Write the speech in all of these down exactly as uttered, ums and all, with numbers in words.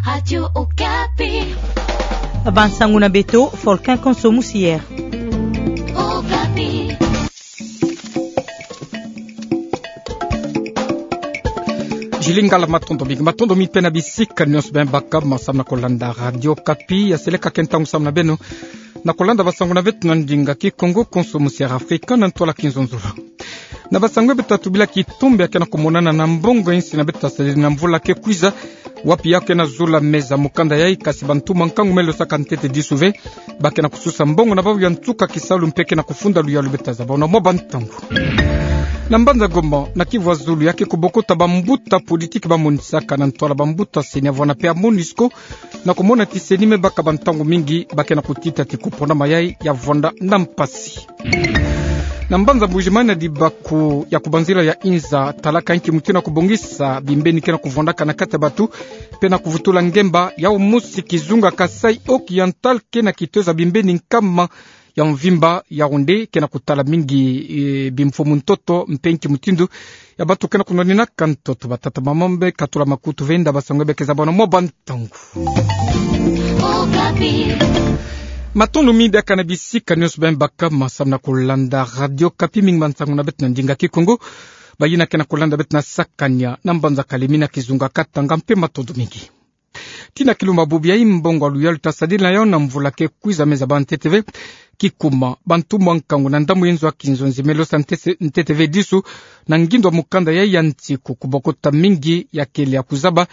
Radio Okapi. Bansango na beto, Folkin Konso Musier. Okapi. Jili ngala matondo mingi, matondo mingi mpe na bisika nyonso beno baka samu na kolanda Radio Okapi. Ya seleka ke ntangu samu na beno na kolanda bansango na beto na ndinga Kikongo, Konso Musier Afrika, na ntwala Kinzonzolo. Na bansango beto tatubilaki, tumba ya ke na kumonana na mbongo ya insi na beto tasadila na mvula ke kwiza, wapi ya ke na zula meza mukanda yayi, kasi bantumwa nkangu me losaka ntete disu ve, ba ke na kususa mbongo na bau ya nsuka kisalu mpe ke na kufunda luyalu. Beto tazaba na mwa bantangu. Na mbanza Goma, na Kivu ya Zulu, ya ke kubokota bambuta politiki ba monisaka na ntwala bambuta CENI ya vwanda mpe ya MONUSCO, na kumona ti CENI me baka bantangu mingi ba ke na kutita ti kupona mayayi ya vwanda na mpasi. Na mbanza Mbuji-Mayi, na dibako ya kubanzila ya inza, talaka nki mutindu ya kubongisa bimbeni ke na kuvwandaka na kati ya batu, mpe na kuvutula ngemba ya mosi kizunga Kasaï Occidental ke na kitoza bimbeni nkama ya mvimba, Yaoundé, ke na kutala mingi, eh, bimfumu ntoto, mpe nki mutindu ya batu ke na kunwaninaka ntoto. Batata, bamama, beno katula makutu ve, nda bansango beno ke zaba na mwa bantangu. Matondo mingi diaka na bisika nyonso beno baka samu na kolanda Radio Okapi, mingi bansango na beto na ndinga Kikongo. Bayina ke na kolanda beto na Sakania, na mbanza Kalemie, na kizunga Katanga mpe, matondo mingi. Tii na kilumbu bubu yayi, mbongo ya luyalu tasadila na yau na mvula ke kwiza me zaba ntete ve. Kikuma, bantumwa nkangu na ndambu ya inzo ya kinzonzi me losa ntete, ntete ve disu na ngindo ya mukanda yayi ya nsiku. Kubokota mingi ya kele ya kuzaba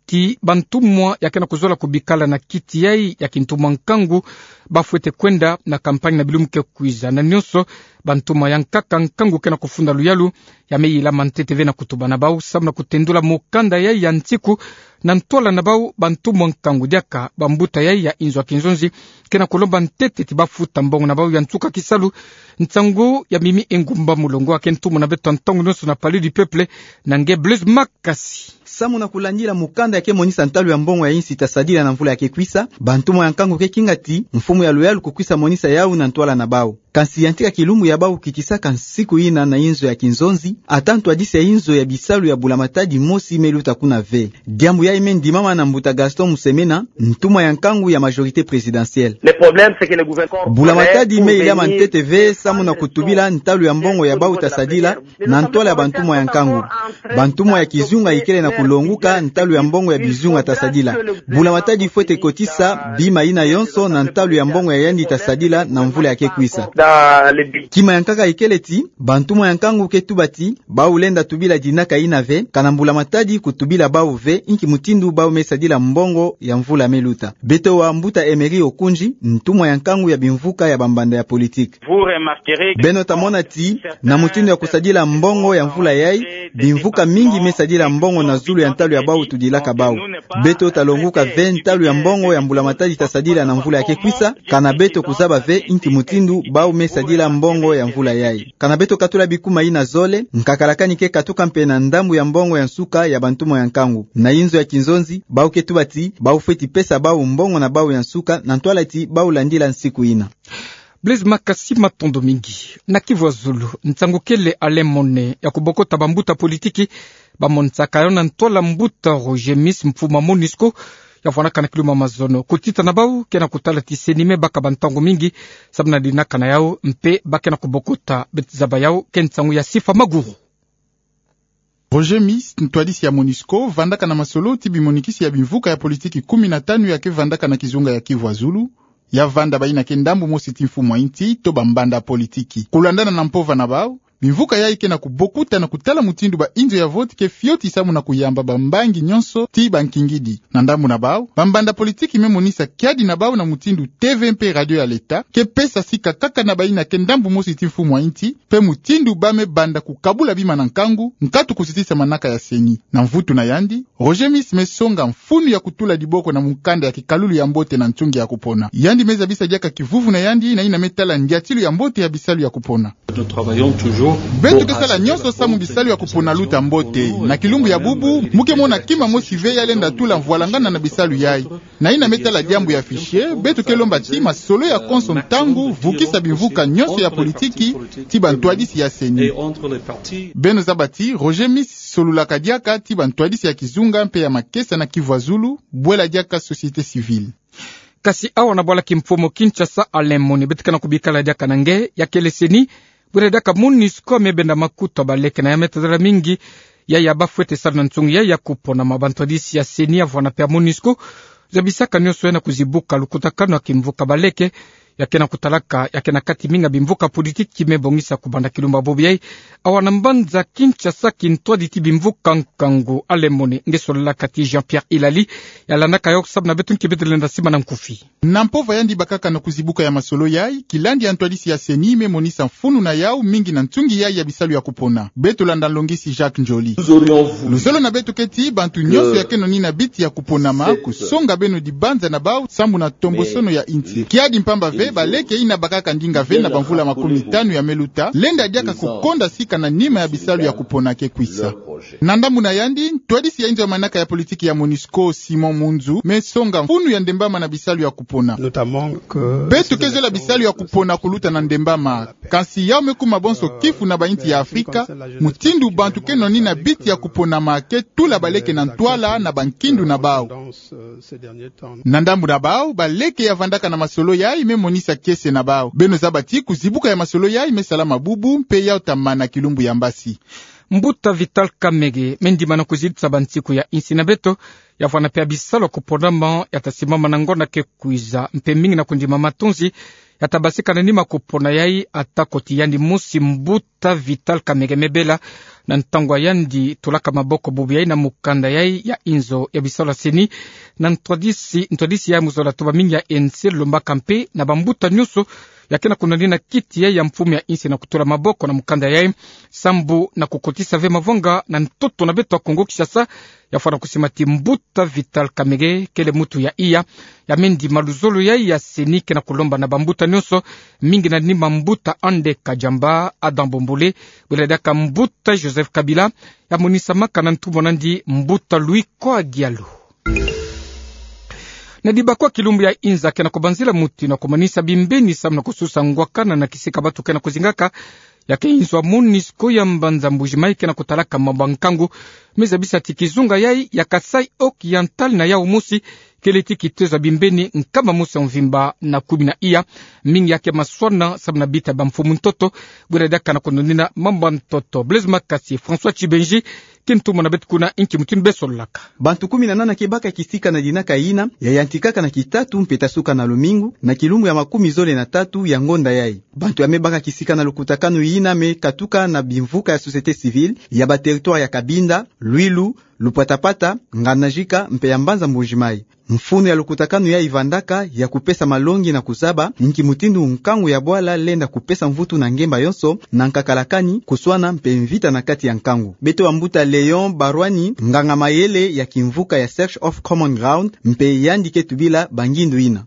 ti bantumwa ya ke na kuzola kubikala na kiti yayi ya kintumwa nkangu ba fwete kwenda na campagne na bilumbu ke kwiza. Na nyonso, bantumwa ya nkaka nkangu ke na kufunda luyalu ya me yilama ntete ve na kutuba na bau samu na kutendula mukanda yayi ya nsiku. Na ntwala na bau, bantumwa nkangu diaka bambuta yayi ya inzo ya kinzonzi ke na kulomba ntete ti ba futa mbongo na bau ya nsuka kisalu. Nsangu ya Mimi Engumba Mulongo, ya ke ntumwa na beto ntangu nyonso na Palais du Peuple, na nge Blaise Makasi. Samu na kulandila mukanda ya ke monisa ntalu ya mbongo ya insi tasadila na mvula ya ke kwisa, bantumwa ya nkangu ke kinga ti mfumu ya luyalu kukwisa monisa yau na ntwala na bau. Kansi yantika kilumbu ya bau kitisaka nsiku yina na inzo ya kinzonzi, ata ntwadisi ya inzo ya bisalu ya bula-matadi mosi me luta kuna ve. Diambu yayi me ndimama na mbuta Gaston Musemena, ntumwa ya nkangu ya majorité présidentielle. Bula-matadi me yilama ntete ve samu na kutubila ntalu ya mbongo ya bau tasadila na ntwala ya bantumwa ya nkangu. Bantumwa ya kizunga ikele na kulonguka ntalu ya mbongo ya bizunga tasadila. Bula-matadi fwete kotisa bima yina yonso na ntalu ya mbongo ya yandi tasadila na mvula ya ke kwisa. Kima ya nkaka ikele ti bantumwa ya nkangu ke tuba ti bau lenda tubila dinaka yina ve, kana mbula-matadi kutubila bau ve inki mutindu bau me sadila mbongo ya mvula me luta. Beto wa mbuta Emery Okundji, ntumwa ya nkangu ya bimvuka ya bambanda ya politique. Beno tamona ti na mutindu ya kusadila mbongo ya mvula yayi, bimvuka mingi me sadila mbongo na zulu ya ntalu ya bau tudilaka bau. Beto talonguka ve ntalu ya mbongo ya mbula-matadi tasadila na mvula ya ke kwisa, kana beto kuzaba ve inki mutindu bau me sadila mbongo ya mvula yayi. Kana beto katula bikuma yina zole, nkakalakani ke katuka mpe na ndambu ya mbongo ya nsuka ya bantumwa ya nkangu. Na inzo ya kinzonzi, bau ke tuba ti bau fweti pesa bau mbongo na bau ya nsuka na ntwala ti bau landila nsiku yina. Blaise Makasi, matondo mingi. Na Kivu ya Zulu, nsangu kele Alain Mone ya kubokota bambuta politiki bamonisaka yo na ntwala mbuta Roger Miss, mfumu a MONUSCO, ya vwanaka na kilumbu ya mazono. Kutita na bau ke na kutala ti CENI me baka bantangu mingi samu na dinaka na yau, mpe ba ke na kubokota. Beto zaba yau, ke nsangu ya Sifa Maguru. Roger Miss, ntwadisi ya MONUSCO, vandaka na masolo ti bimonikisi ya bimvuka ya politiki kumi na tanu ya ke vandaka na kizunga ya Kivu ya Zulu, ya vanda bayina ke ndambu mosi ti mfumu a insi to bambanda politiki. Kulandana na mpova na bau, bimvuka yayi ke na kubokuta na kutala mutindu ba inzo ya vote ke fioti samu na kuyamba bambangi nyonso ti bankingidi. Na ndambu na bau, bambanda politiki me monisa kiadi na bau na mutindu TV mpe radio ya leta ke pesa sika kaka na bayina ke ndambu mosi ti mfumu a insi, mpe mutindu ba me banda kukabula bima na nkangu, nkatu kusisisa manaka ya CENI. Na mvutu na yandi, Roger Miss me songa mfunu ya kutula diboko na mukanda ya kikalulu ya mbote na nsungi ya kupona. Yandi me zabisa diaka kivuvu na yandi na yina me tala ndiatilu ya mbote ya bisalu ya kupona. Nous travaillons toujours Beto ke sala nyonso samu bisalu ya kupona luta mbote. Na kilumbu ya bubu, mu ke mona kima mosi ve ya lenda tula mvwalangana na bisalu yayi. Na yina me tala diambu ya fichier, beto ke lomba ti masolo ya konso ntangu vukisa bimvuka nyonso ya politiki ti bantwadisi ya CENI. Beno zaba ti Roger Miss solulaka diaka ti bantwadisi ya kizunga mpe ya makesa na Kivu ya Zulu, bwela diaka société civile. Kasi awa na bwala kimfumu Kinshasa, Alain Moni, beto ke na kubikala diaka na nge, ya kele CENI, bwela diaka MONUSCO, me benda makutu ya baleke na ya me tadala mingi, ya ya bafwete sala na nsungi ya ya kupona. Ma bantwadisi ya CENI, ya vwanda mpe ya MONUSCO, zabisaka nyonso ya na kuzibuka lukutakanu ya kimvuka baleke, ya ke na kutalaka, ya ke na kati mingi ya bimvuka politiki me bongisa kubanda kilumbu ya bobo yayi. Awa na mbanza Kinshasa, kintwadi ti bimvuka nkangu, Alain Moni, nge solulaka ti Jean-Pierre Ilali, ya landaka yo samu na beto nki beto lenda simbana nkufi. Na mpova yandi bakaka na kuzibuka ya masolo yayi, kilandi ya ntwadisi ya CENI me monisa mfunu na yau mingi na nsungi yayi ya bisalu ya kupona. Beto landa nlongisi Jacques Njoli. Luzolo na beto ke ti bantu nyonso ya ke nonina biti ya kuponama, kusonga beno dibanza na bau, samu na tombosono ya insi. Kiadi mpamba ve, baleke yina bakaka ndinga ve na bamvula makumitanu ya me luta, lenda diaka kukonda sika na nima ya bisalu ya kupona ke kwisa. Na ndambu na yandi, ntwadisi ya inzo ya manaka ya politiki ya MONUSCO, Simon Munzu, me songa mfunu ya ndembama na bisalu ya kupona. Beto ke zola bisalu ya kupona kuluta na ndembama. Kansi yau me kuma bonso kifu na bainsi ya Afrika, mutindu bantu ke nonina biti ya kuponama ke tula baleke na ntwala na bankindu na bau. Na ndambu na bau, baleke ya vandaka na masolo yayi me monisa kiese na bau. Beno zaba ti kuzibuka ya masolo yayi me salama bubu, mpe yau ta mana kilumbu ya mbasi. Mbuta Vital Kamerhe, me ndimana kuzitisa bansiku ya insi na beto, ya vwanda mpe ya bisalu ya kuponama, ya ta simama na ngonda ke kwiza, mpe mingi na kundima matonzi, ya ta basika na nima kupona yayi, atako ti yandi mosi Mbuta Vital Kamerhe me bela, na ntangu ya yandi tulaka maboko bubu yayi na mukanda yayi ya inzo ya bisalu ya CENI, na ntwadisi, ntwadisi ya mu zola tuba mingi ya insi lombaka mpe na bambuta nyonso, ya ke na kunonina kiti yayi ya mfumu ya insi na kutula maboko na mukanda yayi, sambu na kukotisa ve mavanga na ntoto na beto ya Kongo Kinshasa, ya fwana kusima ti Mbuta Vital Kamerhe kele muntu ya iya, ya me ndima luzolo yayi ya CENI ke na kulomba na bambuta nyonso, mingi na nima Mbuta André Kadiamba, Adam Bombole, bwela diaka Mbuta Joseph Kabila, ya monisamaka na ntumwa na yandi Mbuta Louis Koa Diallo. Na dibakwa kilumbu ya inza ke na kubanzila muti na kumanisa bimbeni samu na kususa ngwakana na kisika bantu ke na kuzingaka, ya ke inzo ya MONUSCO ya mbanza Mbuji-Mayi ke na kutalaka mambu ya nkangu, me zabisa ti kizunga yayi ya Kasaï Oriental na yau mosi, kele ti kitezo ya bimbeni nkama mosi ya mvimba na kumi na iya, mingi ya ke maswana samu na bita bamfumu ntoto, bwela diaka na kunonina mambu ya ntoto. Blaise Makasi, François Tchibenji, kintumwa na beto kuna, nki mutindu be sololaka. Bantu kumi na nana ke baka kisika na dinaka yina, ya yantikaka na kitatu mpe ta suka na lumingu, na kilumbu ya makumi zole na tatu ya ngonda yayi. Bantu ya me baka kisika na lukutakanu yina me katuka na bimvuka ya société civile, ya ba territoire ya Cabinda, Luilu, Lupatapata, Ngandajika, mpe ya mbanza Mbuji-Mayi. Mfunu ya lukutakanu yayi vandaka ya kupesa malongi na kuzaba nki mutindu nkangu ya bwala lenda kupesa mvutu na ngemba yonso, na nkakalakani, kuswana mpe mvita na kati ya nkangu. Beto bambuta Léon Barwani, nganga mayele ya kimvuka ya Search of Common Ground, mpe yandi ke tubila bangindu yina.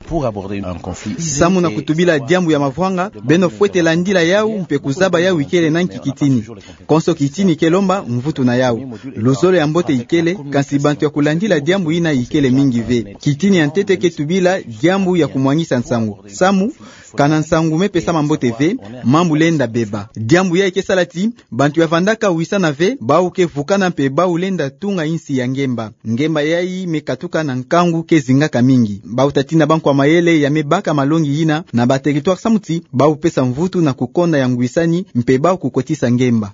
Samu na kutubila diambu ya mavwanga, beno fwete landila yau mpe kuzaba yau ikele na nki kitini. Konso kitini ke lomba mvutu na yau. Luzolo ya mbote ikele, kansi bantu ya kulandila diambu yina ikele mingi ve. Kitini ya ntete ke tubila diambu ya kumwangisa nsangu. Samu, kana nsangu me pesama mbote ve, mambu lenda beba. Diambu yayi ke sala ti bantu ya vandaka wisana ve, bau ke vukana mpe bau lenda tunga insi ya ngemba. Ngemba yayi me katuka na nkangu ke zingaka mingi. Bau ta tina bankwa mayele ya me baka malongi yina na ba territoire samu ti bau pesa mvutu na kukonda ya ngwisani mpe bau kukotisa ngemba.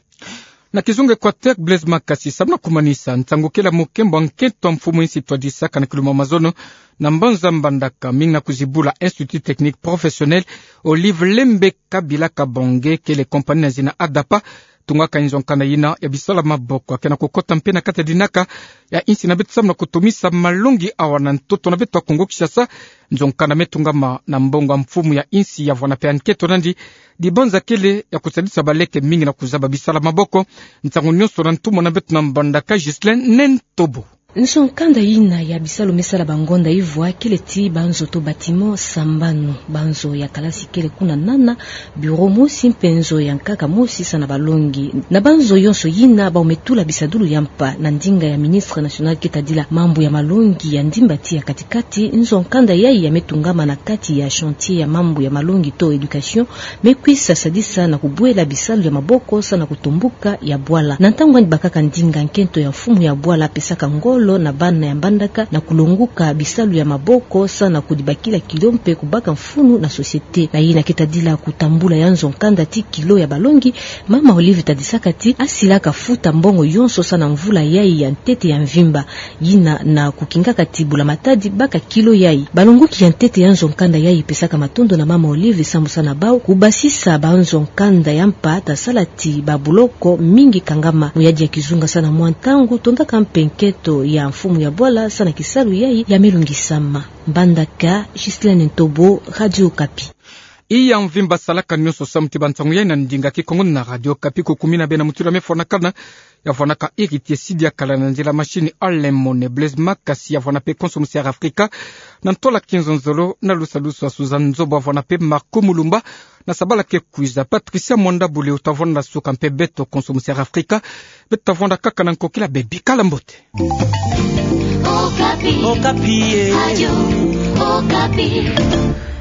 Na kizunga Equateur, Blaise Makasi, samu na kumanisa, nsangu kele ya mukembo ya nkento ya mfumu insi twadisaka na kilumbu ya mazono na mbanza Mbandaka, mingi na kuzibula Institut Technique Professionnel Olive Lembe Kabila Kabange, kele compagnie na zina ADAPA, tungaka inzo nkanda yina ya bisalu ya maboko, ya ke na kukota mpe na kati ya dinaka ya insi na beto samu na kutumisa malongi awa na ntoto na beto ya Kongo Kinshasa. Nzo nkanda me tungama na mbongo ya mfumu ya insi ya vwana mpe ya nkento nandi, dibanza kele ya kusadisa baleke mingi na kuzaba bisalu ya maboko. Nsangu nyonso na ntumwa na beto na Mbandaka, Ghislain Nentobo. Nzo-nkanda yina ya bisalu me sala bangonda ivwa kele ti banzo to bâtiment sambanu, banzo ya kalasi kele kuna nana, bureau mosi mpe nzo ya nkaka mosi sa na balongi. Na banzo yonso yina bau me tula bisadulu ya mpa. Na ndinga ya ministre national ke tadila mambu ya malongi ya ndimba ti ya katikati, nzo-nkanda yayi ya me tungama na kati ya chantier ya mambu ya malongi to éducation, me kwisa sadisa na kubwela bisalu ya maboko sa na kutumbuka ya bwala. Na ntangu yandi bakaka ndinga, nkento ya mfumu ya bwala apesaka ngolo na bana ya Mbandaka na kulonguka bisalu ya maboko sa na kudibakila kilo mpe kubaka mfunu na société. Na yina ke tadila kutambula ya nzo-nkanda ti kilo ya balongi, mama Olive tadisaka ti asilaka futa mbongo yonso sa na mvula yayi ya ntete ya mvimba, yina na kukingaka ti Bula Matadi baka kilo yayi. Balonguki ya ntete ya nzo-nkanda yayi pesaka matondo na mama Olive sambu sa na bau kubasisa banzo-nkanda ya mpa, ta sala ti babuloko mingi kangama. Mu yadi ya kizunga sa na mwa ntangu, tondaka mpe nkento ya mfumu ya bwala sa na kisalu yayi ya me lungisama. Mbandaka, Ghislaine Ntobo, Radio Okapi. Iya mvimba salaka nionso samu ti bansangu yayi na ndinga Kikongo na Radio Okapi. Kukumina bena mutula me fwanakana, ya fwanaka Héritier Sidi, akala na nzila machine Alain Mone Blaise Makasi, ya fwana mpe konso musiara Afrika, na ntola kinzonzolo na lusalusu ya Suzanne Nzobo, ya fwana mpe Marco Mulumba, na sabala ke kwiza Patricia Mwanda Bule, uta fwana na suka mpe beto konso musiara Afrika. Beto ta fwana kaka na nkokila, bebikala mbote. Okapi. Okapi, eh. Radio Okapi.